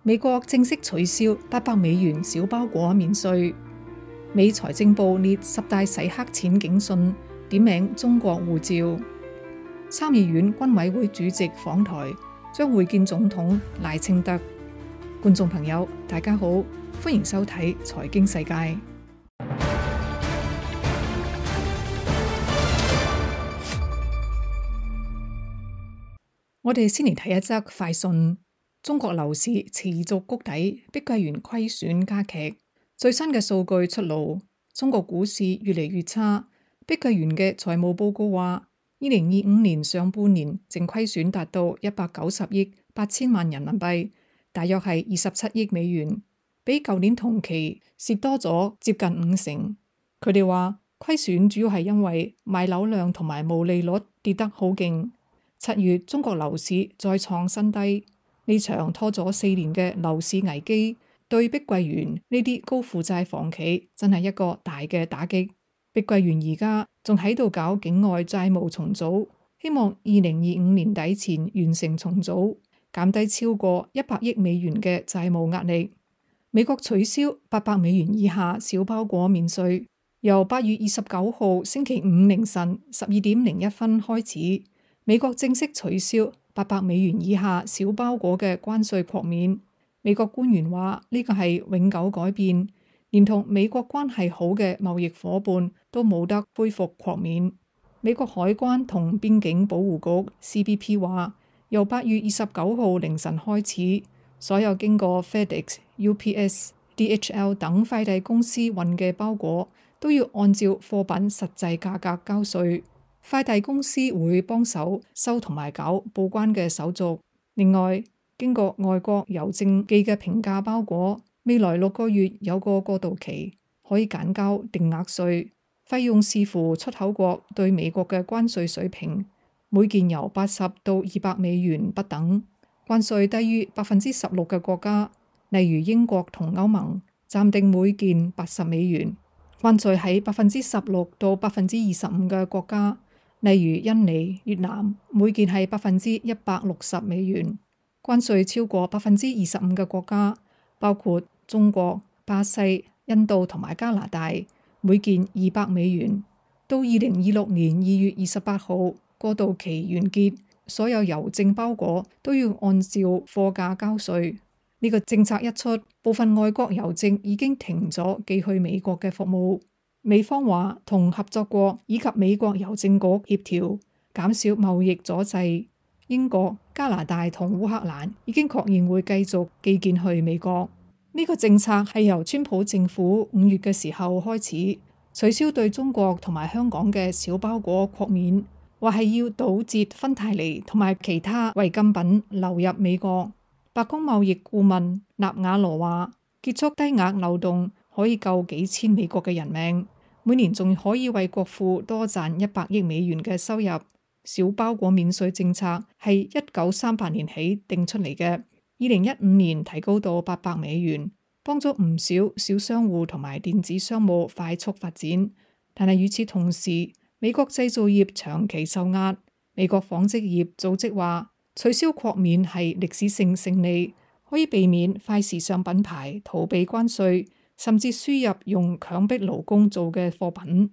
美國正式取消$800小包裹免稅。美財政部列10大洗黑錢警訊，點名中國護照。參議院軍委會主席訪台，將會見總統賴清德。觀眾朋友，大家好，歡迎收睇財經世界。我哋先嚟睇一則快訊：中國樓市持續谷底，碧桂園虧損加劇。最新嘅數據出爐，中國股市越嚟越差。碧桂園嘅財務報告話，2025年上半年淨虧損達到190億8千萬人民幣，大約係27億美元，比舊年同期蝕多咗接近50%。佢哋話虧損主要係因為賣樓量同埋毛利率跌得好勁。7月中國樓市再創新低，呢場拖咗4年嘅樓市危機，對碧桂園呢啲高負債房企真係一個大嘅打擊。碧桂園而家仲喺度搞境外債務重組，希望2025年底前完成重組，減低超過100億美元嘅債務壓力。美國取消$800以下小包裹免稅，由8月29號星期五凌晨12:01開始，美國正式取消$800以下小包裹嘅關稅豁免。美國官員話呢個係永久改變，連同美國關係好嘅貿易夥伴都冇得恢復豁免。美國海關同邊境保護局 CBP 話，由8月29號凌晨開始，所有經過 FedEx、UPS、DHL 等快遞公司運嘅包裹都要按照貨品實際價格交稅。快遞公司會幫手收同埋搞報關嘅手續。另外，經過外國郵政寄嘅平價包裹，未來6個月有個過渡期，可以揀交定額稅，費用視乎出口國對美國嘅關稅水平，每件由80到200美元不等。關稅低於16%嘅國家，例如英國同歐盟，暫定每件80美元；關稅喺16%到25%嘅國家，例如印尼、越南，每件係160美元。關稅超過25%嘅國家，包括中國、巴西、印度同埋加拿大，每件200美元。到2026年2月28號過渡期完結，所有郵政包裹都要按照貨價交稅。呢個政策一出，部分外國郵政已經停咗寄去美國嘅服務。美方話同合作國以及美國郵政局協調，減少貿易阻滯。英國、加拿大同烏克蘭已經確認會繼續寄件去美國。呢個政策係由川普政府5月嘅時候開始取消對中國同埋香港嘅小包裹豁免，話係要堵截芬太尼同埋其他違禁品流入美國。白宮貿易顧問納瓦羅話，結束低額漏洞可以救幾千美國嘅人命，每年仲可以為國庫多賺100億美元嘅收入。小包裹免稅政策係1938年起定出嚟嘅，2015年提高到800美元，幫咗唔少小商戶同埋電子商務快速發展。但係與此同時，美國製造業長期受壓。美國紡織業組織話，取消豁免係歷史性勝利，可以避免快時尚品牌逃避關稅，甚至輸入用強迫勞工做嘅貨品。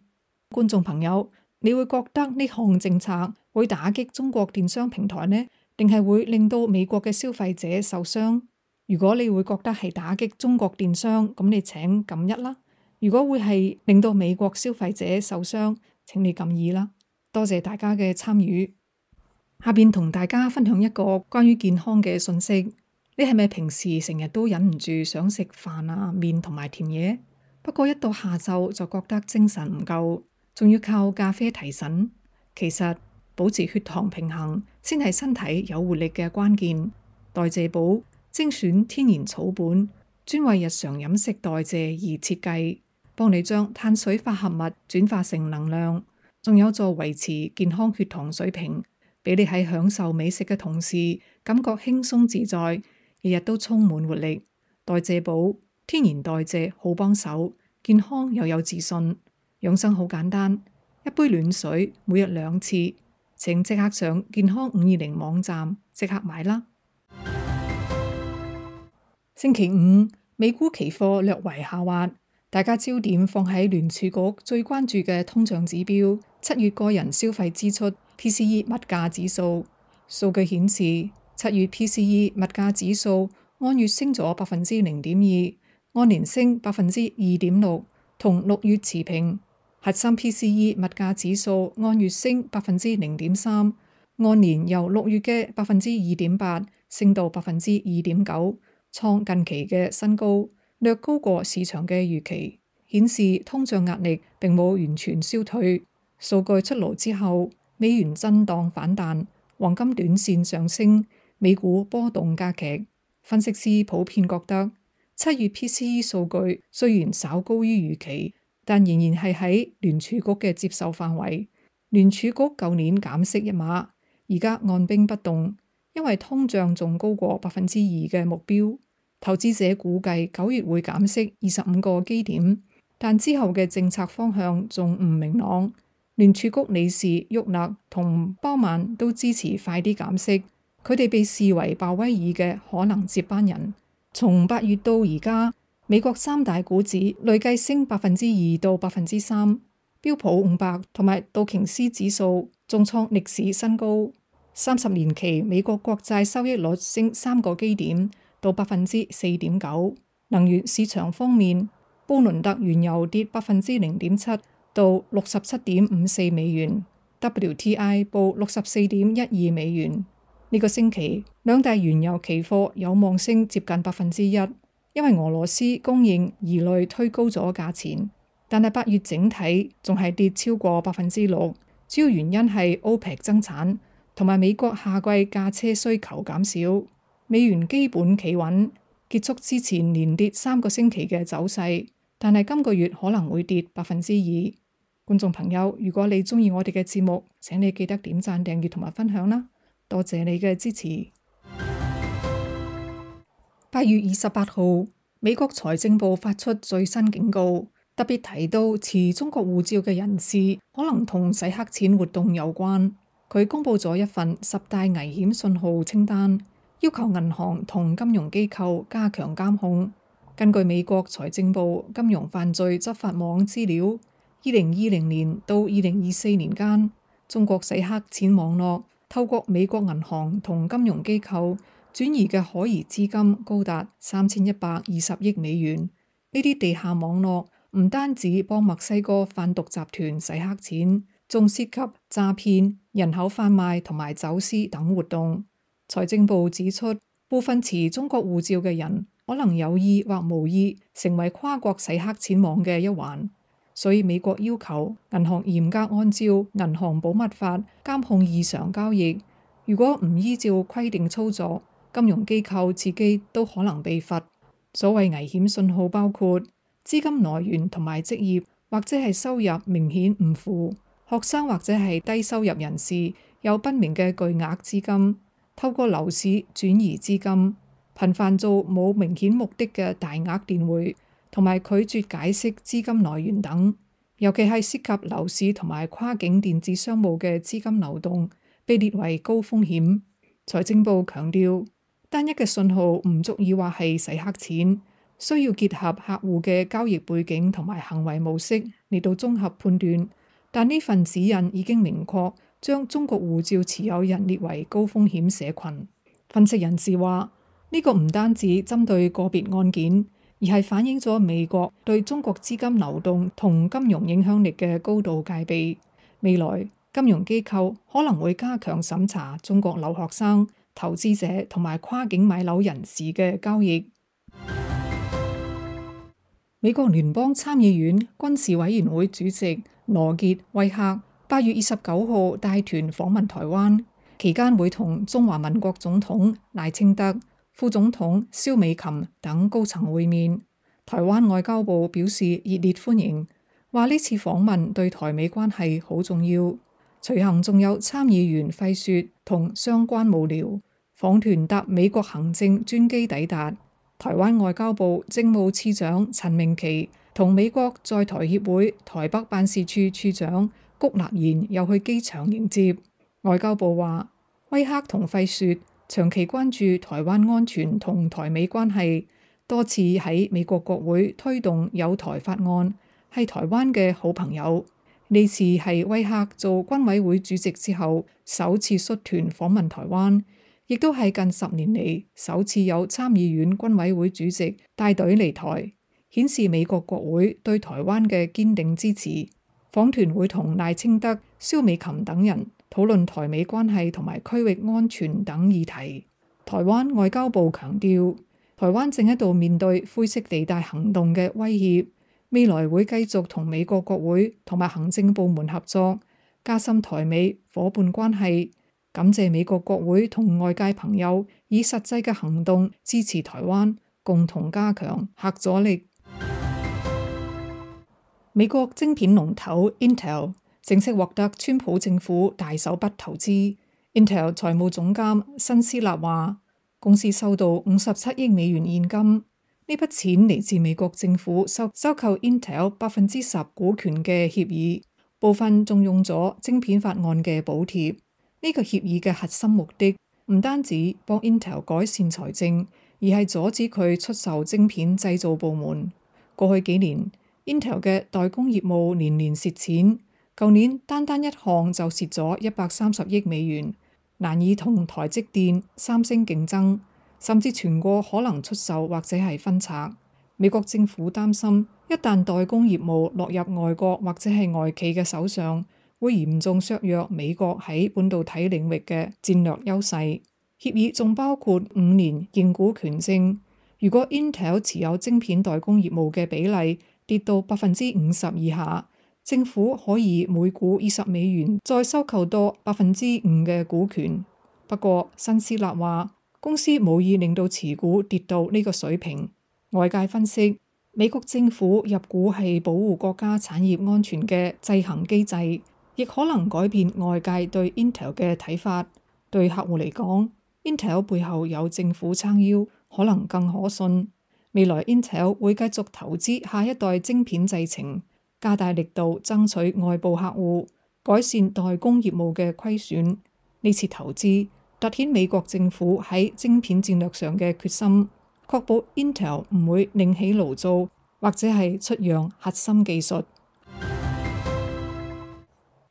觀眾朋友，你會覺得呢項政策會打擊中國電商平台呢，定係會令到美國嘅消費者受傷？如果你會覺得係打擊中國電商，咁你請撳1啦；如果會係令到美國消費者受傷，請你撳2啦。多謝大家嘅參與。下邊同大家分享一個關於健康嘅信息。你係咪平時成日都忍唔住想食飯啊、麵同埋甜嘢？不過一到下晝就覺得精神唔夠，仲要靠咖啡提神。其實保持血糖平衡先係身體有活力嘅關鍵。代謝寶精選天然草本，專為日常飲食代謝而設計，幫你將碳水化合物轉化成能量，仲有助維持健康血糖水平，俾你喺享受美食嘅同時感覺輕鬆自在，日日都充滿活力。代謝寶天然代謝好幫手，健康又有自信。養生好簡單，一杯暖水每日2次，請即刻上健康520網站即刻買啦。星期五，美股期貨略為下滑，大家焦點放喺聯儲局最關注嘅通脹指標7月個人消費支出 PCE 物價指數。數據顯示，7月 PCE 物價指數按月升咗0.2%，按年升2.6%，同6月持平。核心 PCE 物價指數按月升0.3%，按年由6月嘅2.8%升到2.9%，創近期嘅新高，略高過市場嘅預期，顯示通脹壓力並冇完全消退。數據出爐之後，美元震盪反彈，黃金短線上升，美股波動加劇。分析師普遍覺得7月 PCE 數據雖然稍高於預期，但仍然係喺聯儲局嘅接受範圍。聯儲局舊年減息1碼，而家按兵不動，因為通脹仲高過2%嘅目標。投資者估計9月會減息25個基點，但之後嘅政策方向仲唔明朗。聯儲局理事沃勒同鮑曼都支持快啲減息，佢哋被視為鮑威爾嘅可能接班人。從8月到而家，美國3大股指累計升2%到3%，標普500同埋道瓊斯指數仲創歷史新高。30年期美國國債收益率升3個基點到4.9%。能源市場方面，布倫特原油跌0.7%到67.54美元 ，WTI 報64.12美元。呢個星期兩大原油期貨有望升接近1%，因為俄羅斯供應疑慮推高咗價錢。但係8月整體仲係跌超過6%，主要原因係 OPEC 增產同埋美國夏季駕車需求減少。美元基本企穩，結束之前連跌3個星期嘅走勢，但係今個月可能會跌2%。觀眾朋友，如果你鍾意我哋嘅節目，請你記得點讚、訂閱同埋分享啦，多謝你嘅支持。8月28號，美國財政部發出最新警告，特別提到持中國護照嘅人士可能同洗黑錢活動有關。佢公布咗一份10大危險信號清單，要求銀行同金融機構加強監控。根據美國財政部金融犯罪執法網資料，2020年到2024年間，中國洗黑錢網絡透過美國銀行同金融機構轉移嘅可疑資金高達3120億美元。呢啲地下網絡唔單止幫墨西哥販毒集團洗黑錢，仲涉及詐騙、人口販賣同埋走私等活動。財政部指出，部分持中國護照嘅人可能有意或無意成為跨國洗黑錢網嘅一環，所以美國要求銀行嚴格按照銀行保密法監控異常交易。如果唔依照規定操作，金融機構自己都可能被罰。所謂危險信號包括資金來源同埋職業，或者係收入明顯唔符；學生或者係低收入人士有不明嘅巨額資金，透過樓市轉移資金，頻繁做冇明顯目的嘅大額電匯，同埋拒絕解釋資金來源等。尤其係涉及樓市同埋跨境電子商務嘅資金流動，被列為高風險。財政部強調，單一嘅信號唔足以話係洗黑錢，需要結合客戶嘅交易背景同埋行為模式嚟到綜合判斷。但呢份指引已經明確將中國護照持有人列為高風險社群。分析人士話，呢個唔單止針對個別案件，而係反映咗美國對中國資金流動同金融影響力嘅高度戒備。未來金融機構可能會加強審查中國留學生、投資者同埋跨境買樓人士嘅交易。美國聯邦參議院軍事委員會主席羅傑·威克8月29號帶團訪問台灣，期間會同中華民國總統賴清德、副總統蕭美琴等高層會面。台灣外交部表示熱烈歡迎，話呢次訪問對台美關係好重要。隨行仲有參議員費雪同相關幕僚。訪團搭美國行政專機抵達。台灣外交部政務次長陳明奇同美國在台協會台北辦事處處長谷立言又去機場迎接。外交部話，威克同費雪長期關注台灣安全同台美關係，多次喺美國國會推動友台法案，係台灣嘅好朋友。呢次係威嚇做軍委會主席之後首次率團訪問台灣，亦都係近10年嚟首次有參議院軍委會主席帶隊嚟台，顯示美國國會對台灣嘅堅定支持。訪團會同賴清德、蕭美琴等人討論台美關係同埋區域安全等議題。台灣外交部強調，台灣正喺度面對灰色地帶行動嘅威脅，未來會繼續同美國國會同埋行政部門合作，加深台美夥伴關係。感謝美國國會同外界朋友以實際嘅行動支持台灣，共同加強核阻力。美國晶片龍頭 Intel 正式獲得川普政府大手筆投資。Intel 財務總監辛斯納話，公司收到57億美元現金，呢筆錢嚟自美國政府收購 Intel 10%股權嘅協議，部分仲用咗晶片法案嘅補貼。呢個協議嘅核心目的唔單止幫 Intel 改善財政，而係阻止佢出售晶片製造部門。過去幾年 Intel 嘅代工業務年年蝕錢，舊年單一項就蝕咗130億美元，難以同台積電、三星競爭，甚至傳過可能出售或者係分拆。美國政府擔心，一旦代工業務落入外國或者係外企嘅手上，會嚴重削弱美國喺半導體領域嘅戰略優勢。協議仲包括5年認股權證，如果 Intel 持有晶片代工業務嘅比例跌到50%以下，政府可以每股20美元再收購多5%嘅股權。不過辛斯納話，公司冇意令到持股跌到呢個水平。外界分析，美國政府入股係保護國家產業安全嘅制衡機制，亦可能改變外界對 Intel 嘅睇法。對客戶嚟講， Intel 背後有政府撐腰，可能更可信。未來 Intel 會繼續投資下一代晶片製程，加大力度爭取外部客戶，改善代工業務嘅虧損。呢次投資凸顯美國政府喺晶片戰略上嘅決心，確保 Intel 唔會另起爐灶，或者係出讓核心技術。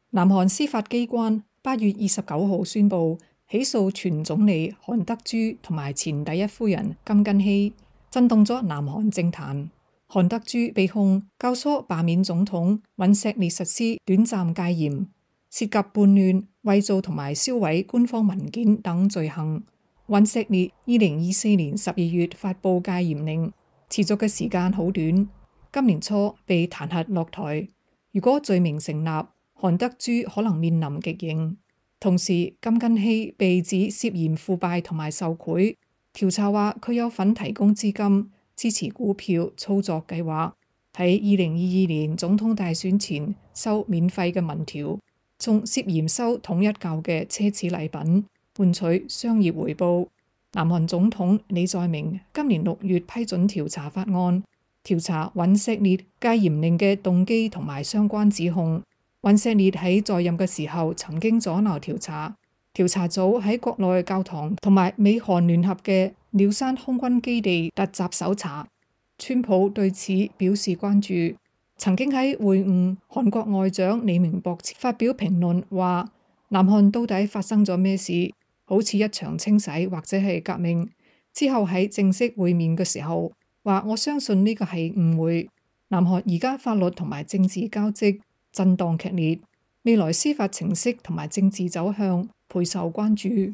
南韓司法機關8月29號宣布起訴前總理韓德珠同埋前第一夫人金根希，震動咗南韓政壇。韓德珠被控教唆罷免總統尹錫悅實施短暫戒嚴，涉及叛亂、偽造同埋銷毀官方文件等罪行。尹錫悅2024年12月發布戒嚴令，持續嘅時間好短，今年初被彈劾落台。如果罪名成立，韓德珠可能面臨極刑。同時，金根希被指涉嫌腐敗同埋受賄，調查話佢有份提供資金支持股票操作計劃，喺2022年總統大選前收免費嘅民調，仲涉嫌收統一教嘅奢侈禮品換取商業回報。南韓總統李在明今年6月批准調查法案，調查尹錫悅戒嚴令嘅動機同埋相關指控。尹錫悅喺在任嘅時候曾經阻撓調查，調查組喺國內教堂同埋美韓聯合嘅鳥山空軍基地突襲搜查。川普對此表示關注，曾經喺會晤韓國外長李明博發表評論，話南韓到底發生咗咩事，好似一場清洗或者係革命。之後喺正式會面嘅時候話，我相信呢個係誤會。南韓而家法律同埋政治交織震盪劇烈，未來司法程式同埋政治走向備受關注。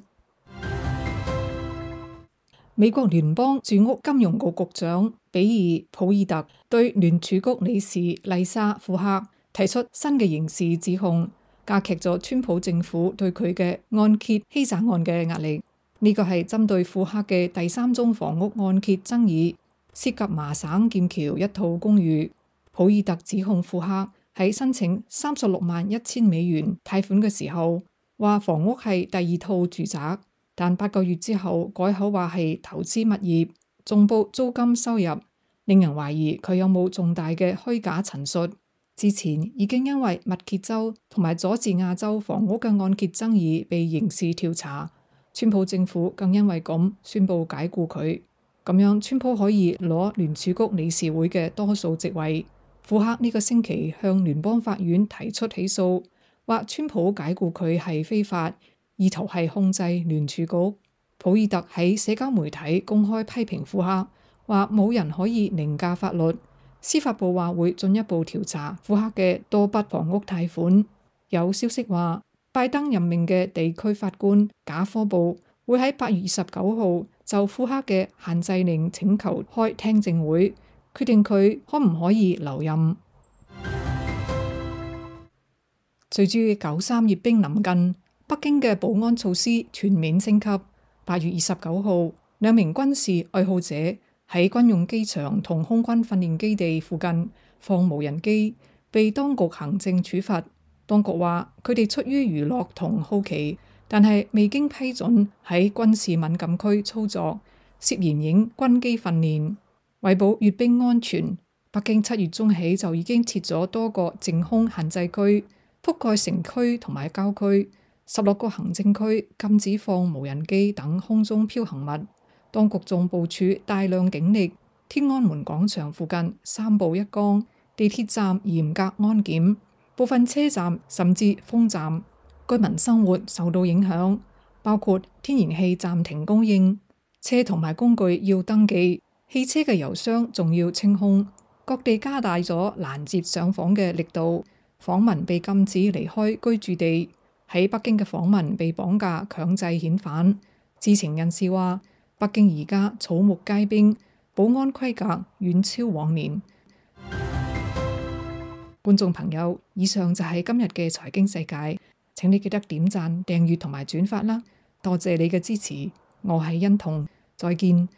美國聯邦住屋金融局局長比爾·普爾特對聯儲局理事麗莎·庫克提出新嘅刑事指控，加劇咗川普政府對佢嘅按揭欺詐案嘅壓力。呢個係針對庫克嘅第3宗房屋按揭爭議，涉及麻省劍橋一套公寓。普爾特指控庫克喺申請36.1萬美元貸款嘅時候，話房屋係第2套住宅，但8個月之後改口話係投資物業，仲報租金收入，令人懷疑佢有冇重大嘅虛假陳述。之前已經因為密歇州同埋佐治亞州房屋嘅按揭爭議被刑事調查，川普政府更因為咁宣布解僱佢。咁樣川普可以攞聯儲局理事會嘅多數席位。庫克呢個星期向聯邦法院提出起訴，話川普解雇佢係非法，意圖係控制聯儲局。普爾特喺社交媒體公開批評庫克，話冇人可以凌駕法律。司法部話會進一步調查庫克嘅多筆房屋貸款。有消息話，拜登任命嘅地區法官賈科布會喺8月29號就庫克嘅限制令請求開聽證會，決定佢可唔可以留任。隨住9.3閱兵臨近，北京嘅保安措施全面升級。8月29號，兩名軍事愛好者喺軍用機場同空軍訓練基地附近放無人機，被當局行政處罰。當局話佢哋出於娛樂同好奇，但係未經批准喺軍事敏感區操作，涉嫌影軍機訓練。為保閱兵安全，北京7月中起就已經設咗多個淨空限制區，覆蓋城區同埋郊區。16個行政區禁止放無人機等空中飄行物。當局仲部署大量警力，天安門廣場附近3步1崗，地鐵站嚴格安檢，部分車站甚至封站。居民生活受到影響，包括天然氣暫停供應，車同埋工具要登記，汽車嘅油箱仲要清空。各地加大咗攔截上訪嘅力度，訪民被禁止離開居住地。喺北京嘅訪民被綁架強制遣返。知情人士話，北京而家草木皆兵，保安規格遠超往年。觀眾朋友，以上就係今日嘅財經世界，請你記得點讚、訂閱同埋轉發啦，多謝你嘅支持。我係欣彤，再見。